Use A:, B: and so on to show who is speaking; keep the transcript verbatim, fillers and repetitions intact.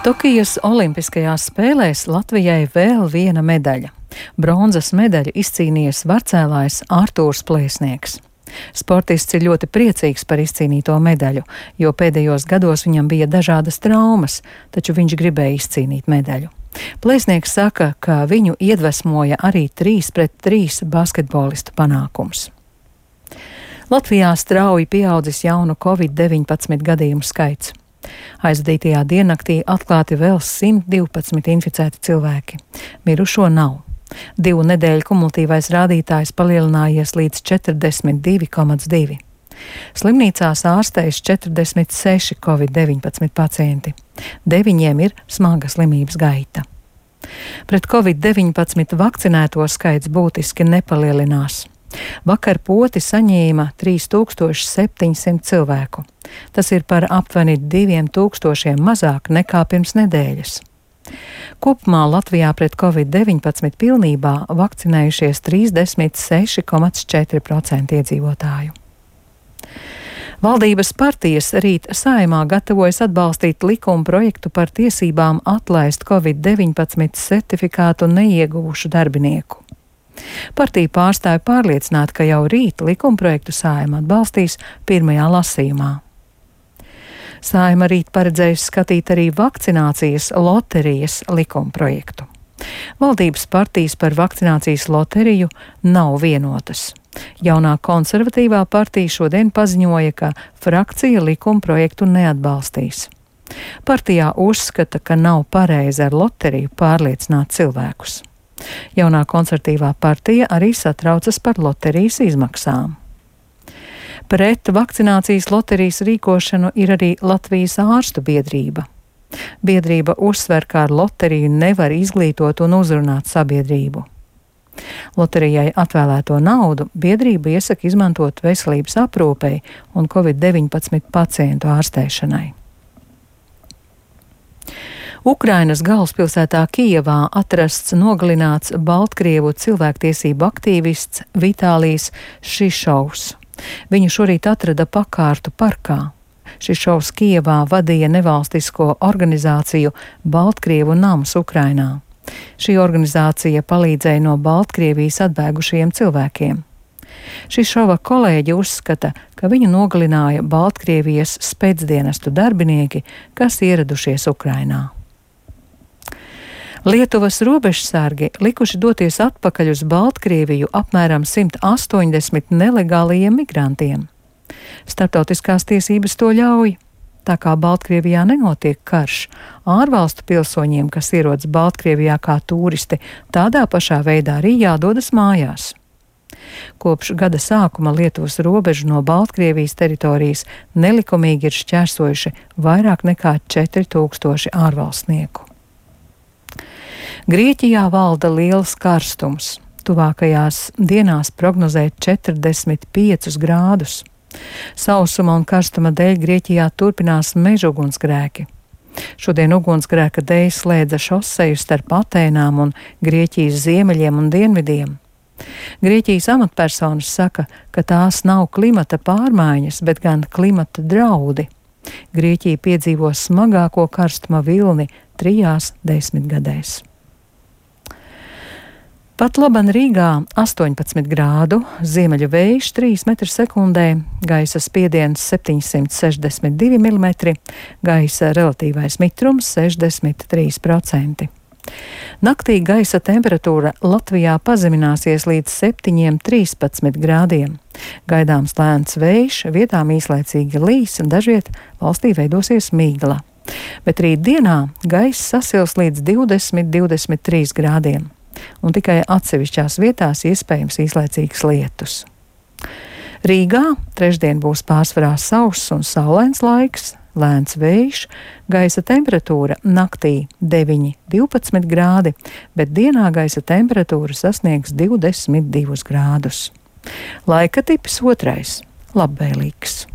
A: Tokijas olimpiskajās spēlēs Latvijai vēl viena medaļa. Bronzas medaļu izcīnījis varcēlājs Artūrs Plēsnieks. Sportists ir ļoti priecīgs par izcīnīto medaļu, jo pēdējos gados viņam bija dažādas traumas, taču viņš gribēja izcīnīt medaļu. Plēsnieks saka, ka viņu iedvesmoja arī trīs pret trīs basketbolistu panākums. Latvijā strauji pieaudzis jaunu covid deviņpadsmit gadījumu skaits. Aizvadītajā diennaktī atklāti vēl simt divpadsmit inficēti cilvēki. Mirušo nav. Divu nedēļu kumulatīvais rādītājs palielinājies līdz četrdesmit divi komats divi. Slimnīcās ārstējas četrdesmit seši covid deviņpadsmit pacienti. Deviņiem ir smaga slimības gaita. Pret covid deviņpadsmit vakcinēto skaits būtiski nepalielinās. Vakar poti saņēma trīs tūkstoši septiņsimt cilvēku. Tas ir par aptuveni diviem tūkstošiem mazāk nekā pirms nedēļas. Kopumā Latvijā pret covid deviņpadsmit pilnībā vakcinējušies trīsdesmit seši komats četri procenti iedzīvotāju. Valdības partijas rīt Saeimā gatavojas atbalstīt likuma projektu par tiesībām atlaist covid deviņpadsmit certifikātu neieguvušu darbinieku. Partija pārstāja pārliecināt, ka jau rīt likumprojektu Saeima atbalstīs pirmajā lasījumā. Saeima rīt paredzējusi skatīt arī vakcinācijas loterijas likumprojektu. Valdības partijas par vakcinācijas loteriju nav vienotas. Jaunā konservatīvā partija šodien paziņoja, ka frakcija likumprojektu neatbalstīs. Partijā uzskata, ka nav pareizi ar loteriju pārliecināt cilvēkus. Jaunā konservatīvā partija arī satraucas par loterijas izmaksām. Pret vakcinācijas loterijas rīkošanu ir arī Latvijas ārstu biedrība. Biedrība uzsver, ka ar loteriju nevar izglītot un uzrunāt sabiedrību. Loterijai atvēlēto naudu biedrība iesaka izmantot veselības aprūpei un covid deviņpadsmit pacientu ārstēšanai. Ukrainas galvaspilsētā Kijevā atrasts nogalināts Baltkrievu cilvēktiesību aktīvists Vitālijs Šišovs. Viņu šorīt atrada pakārtu parkā. Šišovs Kijevā vadīja nevalstisko organizāciju Baltkrievu nams Ukrainā. Šī organizācija palīdzēja no Baltkrievijas atbēgušajiem cilvēkiem. Šišova kolēģi uzskata, ka viņu nogalināja Baltkrievijas spēcdienestu darbinieki, kas ieradušies Ukrainā. Lietuvas robežsargi likuši doties atpakaļ uz Baltkrieviju apmēram simt astoņdesmit nelegālajiem migrantiem. Starptautiskās tiesības to ļauj. Tā kā Baltkrievijā nenotiek karš, ārvalstu pilsoņiem, kas ierodas Baltkrievijā kā turisti, tādā pašā veidā arī jādodas mājās. Kopš gada sākuma Lietuvas robežu no Baltkrievijas teritorijas nelikumīgi ir šķērsojuši vairāk nekā četri tūkstoši ārvalstnieku. Grieķijā valda liels karstums. Tuvākajās dienās prognozē četrdesmit piecus grādus. Sausuma un karstuma dēļ Grieķijā turpinās meža ugunsgrēki. Šodien ugunsgrēka dēļ slēdza šoseju starp Atēnām un Grieķijas ziemeļiem un dienvidiem. Grieķijas amatpersonas saka, ka tās nav klimata pārmaiņas, bet gan klimata draudi. Grieķija piedzīvo smagāko karstuma vilni trijās desmitgadēs. Pat laban Rīgā astoņpadsmit grādu, ziemeļu vējš trīs metri sekundē, gaisa spiediens septiņsimt sešdesmit divi milimetri, gaisa relatīvais mitrums sešdesmit trīs procenti. Naktī gaisa temperatūra Latvijā pazemināsies līdz septiņiem trīspadsmit grādiem. Gaidāms lēns vējš, vietām īslaicīgi līs, dažviet valstī veidosies migla. Bet rīt dienā gaisa sasils līdz divdesmit līdz divdesmit trīs grādiem. Un tikai atsevišķās vietās iespējams īslaicīgs lietus. Rīgā trešdien būs pārsvarā sauss un saulains laiks, lēns vējš, gaisa temperatūra naktī deviņi līdz divpadsmit grādi, bet dienā gaisa temperatūra sasniegs divdesmit divus grādus. Laika tips otrais - labvēlīgs.